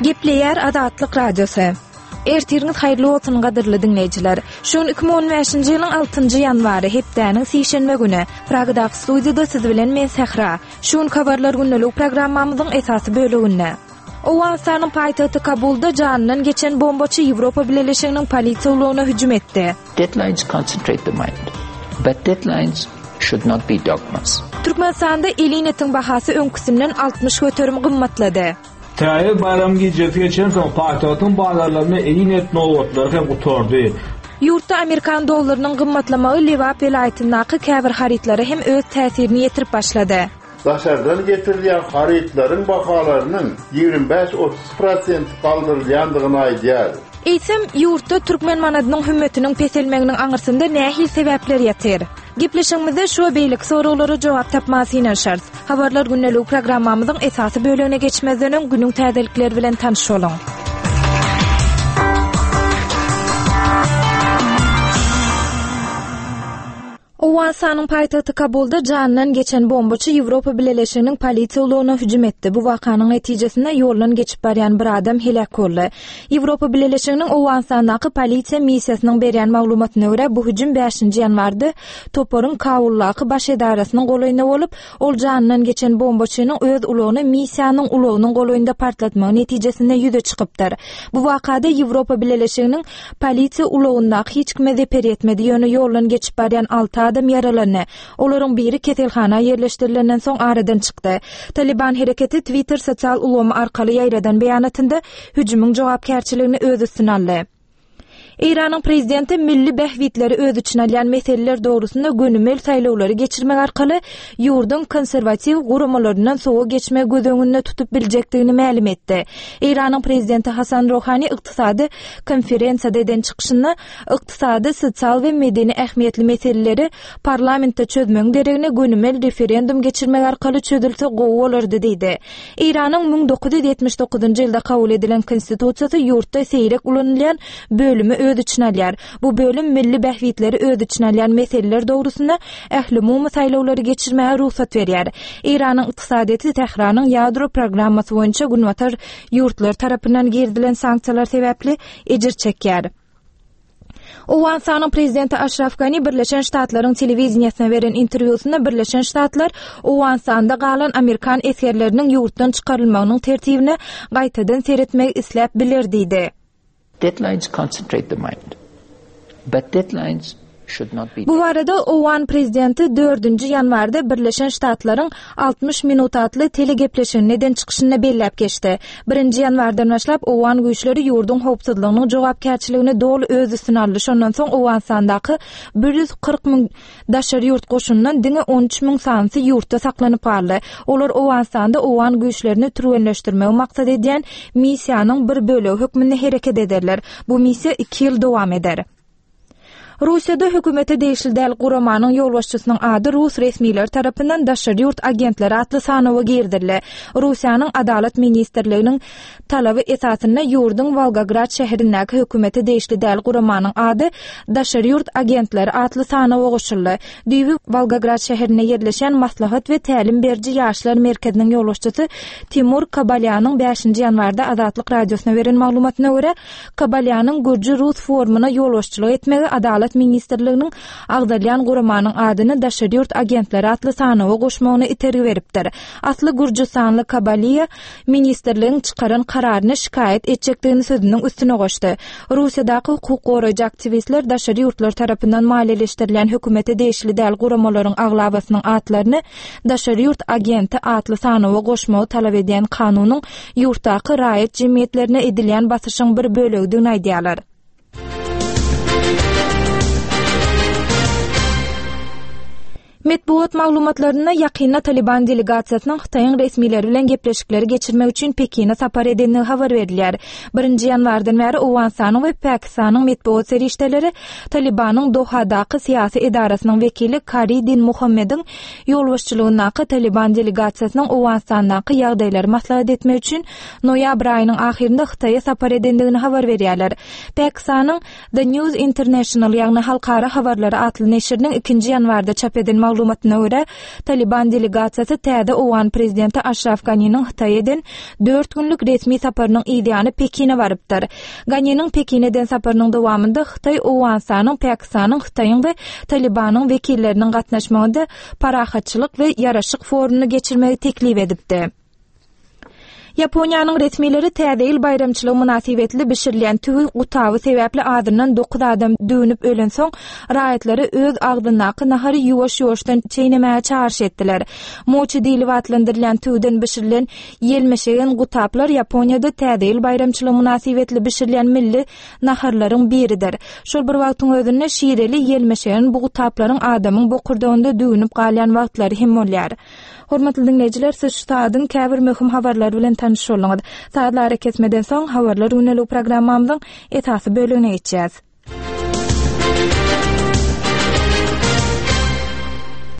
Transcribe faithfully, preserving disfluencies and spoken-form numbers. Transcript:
Gepleýär Azatlyk Radiosy. Ertiriňiz haýyrly bolsun gadyrly diňleýjiler. Şu gün iki müň on bäşinji ýylyň altynjy ýanwary, hepdäniň sişenbe güni. Pragadaky studiýada siz bilen men Sähra. Şu gün habarlar gündelik programmamyzyň esasy böleginde. Owganystanyň paýtagty Kabulda janyndan geçen bombaçy Ýewropa Bileleşiginiň polisiýa ulagyna hüjüm etdi. Deadlines concentrate the mind, but deadlines should not be dogmas. Türkmenistanda elin etiň bahasy öňküsinden altmyş göterim gymmatlady. Täze baýram gijesi geçensoň paýtagtyň bazarlarynda elin et nobatlary hem gutardy. Ýurtda amerikan dollarynyň gymmatlamagy Lebap welaýatyndaky käbir harytlara hem öz täsirini ýetirip başlady. Daşardan getirilýän harytlaryň bahalarynyň ýigrimi bäş otuz prosent galdyrylýandygyny aýdýar. Eýsem, ýurtda türkmen manadynyň hümmetiniň peselmeginiň aňyrsynda nähili sebäpler ýatyr? Gepleşigimizde şu we beýleki soraglara jogap tapmaga synanyşarys. Habarlar gündelik programmamyzyň esasy bölegine geçmezden öň günüň täzelikleri bilen tanyş boluň. Owganystanyň paýtagty Kabulda janyndan geçen bombaçy Ýewropa Bileleşiginiň polisiýa ulagyna hüjüm etdi. Bu wakanyň netijesinde ýoldan geçip barýan bir adam heläk boldy. Ýewropa Bileleşiginiň Owganystandaky polisiýa missiýasynyň berýän maglumatyna görä, bu hüjüm bäşinji ýanwarda toparyň Kabuldaky baş edarasynyň golaýynda bolup, ol janyndan geçen bombaçynyň öz ulagyny missiýanyň ulagynyň golaýynda partlatmagy netijesinde ýüze çykypdyr. Bu wakada Ýewropa Bileleşiginiň polisiýa ulagyndaky hiç kime zeper ýetmedi, ýöne ýoldan geçip barýan alty adam ýaralandy. Olaryň biri keselhana ýerleşdirilenden soň aradan çykdy. Taliban hereketi Twitter sosial ulgamy arkaly ýaýradan beýanatynda hüjümiň jogapkärçiligini öz üstüne aldy. Eýranyň prezidenti milli bähbitleri öz içine alýan meseleler dogrusynda gönümel saýlawlary geçirmek arkaly ýurduň konserwatiw guramalaryndan sowa geçmegi göz öňünde tutup biljekdigini mälim etdi. Eýranyň prezidenti Hasan Rohani ykdysady konferensiýada eden çykyşynda ykdysady, sosial we medeni ähmiýetli meseleleri parlamentde çözmegiň deregine gönümel referendum geçirmek arkaly çözülse gowy bolardy diýdi. Eýranyň müň dokuz ýüz ýetmiş dokuzynjy ýylda kabul edilen konstitusiýasy ýurtda seýrek ulanylýan bölümi öz içine alýar. Bu bölüm milli bähbitleri öz içine alýan meseleler dogrusynda ählumumy saýlawlary geçirmäge rugsat berýär. Eýranyň ykdysadyýeti Tähranyň ýadro programmasy boýunça günbatar ýurtlar tarapyndan girizilen sanksiýalar sebäpli ejir çekýär. Owganystanyň prezidenti Aşraf Gani Birleşen Ştatlaryň telewideniýesine beren interwýusynda Birleşen Ştatlar Owganystanda galan amerikan esgerleriniň ýurtdan çykarylmagynyň tertibine gaýtadan seretmegi isläp biler diýdi. Deadlines concentrate the mind, but deadlines should not be Bu barada Owgan prezidenti dördünji ýanwarda Birleşen Ştatlaryň altmyş minut atly telegepleşiginde eden çykyşynda belläp geçdi. Birinji ýanwardan başlap Owgan güýçleri ýurduň howpsuzlygynyň jogapkärçiligini doly öz üstüne aldy. Şondan soň Owganystandaky bir ýüz kyrk müň daşary ýurt goşundan diňe on üç müň sanysy ýurtda saklanyp galdy. Olar Owganystanda Owgan güýçlerini türgenleşdirmegi maksat edýän missiýanyň bir bölegi hökmünde hereket ederler. Bu missiýa iki ýyl dowam eder. Russiýada hökümete degişli däl guramanyň ýolbaşçysynyň ady Rus resmileri tarapyndan daşary ýurt agentleri atly sanawa girdirildi. Russiýanyň Adalat ministrliginiň talaby esasynda ýurduň Wolgograd şäherindäki hökümete degişli däl guramanyň ady daşary ýurt agentleri atly sanawa goşuldy. Düýbi Wolgograd şäherinde ýerleşen maslahat we tälim beriji ýaşlar merkeziniň ýolbaşçysy Timur Kabalýanyň bäşinji ýanwarda Azatlyk radiosyna beren maglumatyna görä, Kabalýanyň Gürji Rus forumyna ýolbaşçylyk etmegi Adalat ministrliginiň agzalýan guramanyň adyny daşary ýurt agentleri atly sanawa goşmagyna itergi beripdir. Asly Gürjüstanly Kabalýa ministrligiň çykaran kararyny şikaýat etjekdigini sözüniň üstüne goşdy. Russiýadaky hukuk goraýjy aktiwistler daşary ýurtlar tarapyndan maliýeleşdirilýän hökümete degişli däl guramalaryň aglabasynyň atlaryny daşary ýurt agenti atly sanawa goşmagy talap edýän kanunyň ýurtdaky raýat jemgyýetlerine edilýän basyşyň bir bölegidigini aýdýarlar. Metbugat maglumatlarynda ýakynda Taliban delegasiýasynyň Hytaýyň resmileri bilen gepleşikleri geçirmek üçin Pekine sapar edendigi habar berilýär. Birinji ýanwardan bäri Owganystanyň we Pakistanyň metbugat serişdeleri Talibanyň Dohadaky syýasy edarasynyň wekili Kari Din Muhammediň ýolbaşçylygyndaky Taliban delegasiýasynyň Owganystandaky ýagdaýlary maslahat etmek üçin noýabr aýynyň ahyrynda Hytaýa sapar edendigini habar berýärler. Pakistanyň The News International, ýagny Halkara habarlary atly neşiriniň ikinji ýanwarda çap eden maglumatlaryna maglumatyna görä, Talyban delegasiýasy täze owgan prezidenti Aşraf Ganiniň Hytaýa eden dört günlük resmi saparynyň yzýany Pekine barypdyr. Ganiniň Pekine eden saparynyň dowamynda Hytaý Owganystanyň, Pakistanyň, Hytaýyň we Talybanyň wekilleriniň gatnaşmagynda parahatçylyk we ýaraşyk forumyny geçirmegi teklip edipdi. Ýaponiýanyň resmileri Täze ýyl baýramçylygy mynasybetli bişirilýän tüwi gutaby sebäpli azyndan dokuz adam düwnüp ölensoň, raýatlary öz agzyndaky nahary ýuwaş-ýuwaşdan çeýnemäge çagyryş etdiler. Moçi diýlip atlandyrylýan tüwüden bişirilen ýelmeşegen gutaplar Ýaponiýada Täze ýyl baýramçylygy mynasybetli bişirilýän milli naharlaryň biridir. Şol bir wagtyň özünde şireli ýelmeşegen bu gutaplaryň adamyň bokurdagynda düwnüp galýan wagtlary hem bolýar. Hormatly diňleýjiler, siz şu saadyň käbir möhüm habarlary bilen tanyş bolduňyz. Sazly arakesmeden soň Habarlar gündeligi programmamyzyň esasy bölegine geçýäs.